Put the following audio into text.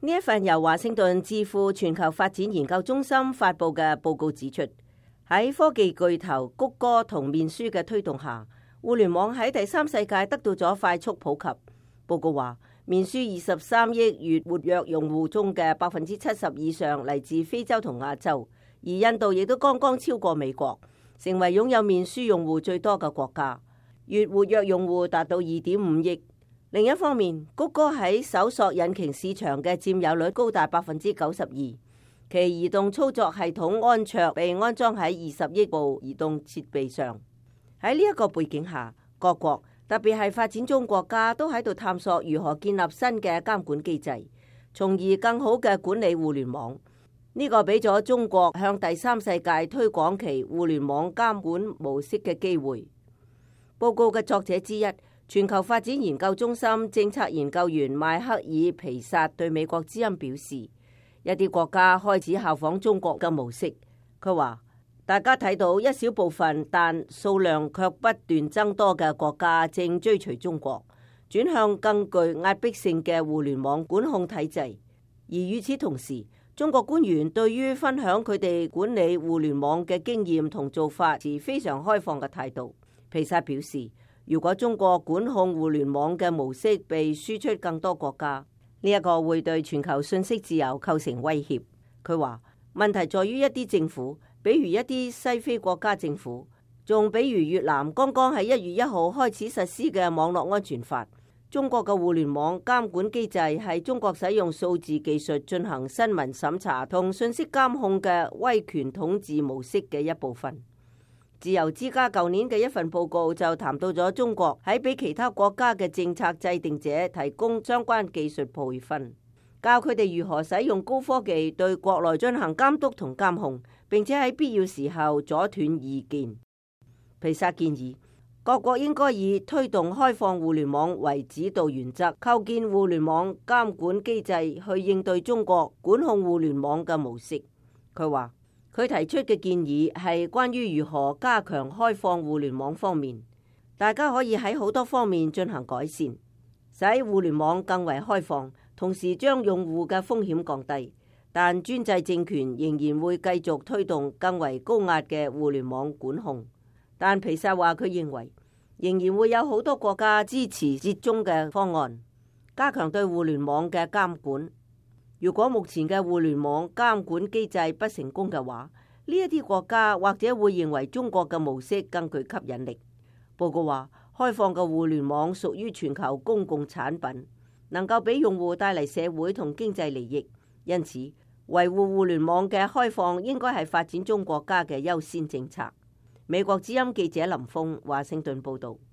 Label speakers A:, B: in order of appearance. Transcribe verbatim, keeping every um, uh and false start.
A: 呢一份由華盛頓智庫全球發展研究中心發佈嘅報告指出，喺科技巨頭谷歌同面書嘅推動下，互聯網喺第三世界得到咗快速普及。報告話，面書二十三億月活躍用戶中嘅百分之七十以上嚟自非洲同亞洲，而印度亦都剛剛超過美國，成為擁有面書用戶最多嘅國家，月活躍用戶達到二點五億。另一方面，谷歌喺搜索引擎市場嘅佔有率高達百分之九十二，其移動操作系統安卓被安裝喺二十億部移動設備上。喺呢一個背景下，各國特別係發展中國家都喺度探索如何建立新嘅監管機制，從而更好嘅管理互聯網。呢個俾咗中國向第三世界推廣其互聯網監管模式嘅機會。報告嘅作者之一，全球發展研究中心政策研究員邁克爾皮薩對美國之音表示，一啲國家開始效仿中國嘅模式。佢話，大家睇到一小部分但數量卻不斷增多嘅國家正追隨中國，轉向更具壓迫性嘅互聯網管控體制。而與此同時，中國官員對於分享佢哋管理互聯網嘅經驗同做法持非常開放嘅態度。皮薩表示，如果中國管控互聯網嘅模式被輸出更多國家，呢一個會對全球信息自由構成威脅。佢話，問題在於一啲政府，比如一啲西非國家政府，仲比如越南剛剛喺一月一號開始實施嘅網絡安全法。中國嘅互聯網監管機制係中國使用數字技術進行新聞審查同信息監控嘅威權統治模式嘅一部分。自由之家舊年嘅一份報告就談到咗中國喺俾其他國家嘅政策制定者提供相關技術培訓，教佢哋如何使用高科技對國內進行監督同監控，並且喺必要時候阻斷意見。皮薩建議各國應該以推動開放互聯網為指導原則，構建互聯網監管機制去應對中國管控互聯網嘅模式。佢話，佢提出嘅建議係關於如何加強開放互聯網方面，大家可以喺好多方面進行改善，使互聯網更為開放，同時將用戶嘅風險降低。但專制政權仍然會繼續推動更為高壓嘅互聯網管控。但皮薩話，佢認為仍然會有好多國家支持折中嘅方案，加強對互聯網嘅監管。如果目前嘅互聯網監管機制不成功嘅話，呢一啲國家或者會認為中國嘅模式更具吸引力。報告話，開放嘅互聯網屬於全球公共產品，能夠俾用戶帶嚟社會同經濟利益，因此維護互聯網嘅開放應該係發展中國家嘅優先政策。美國之音記者林峰華盛頓報道。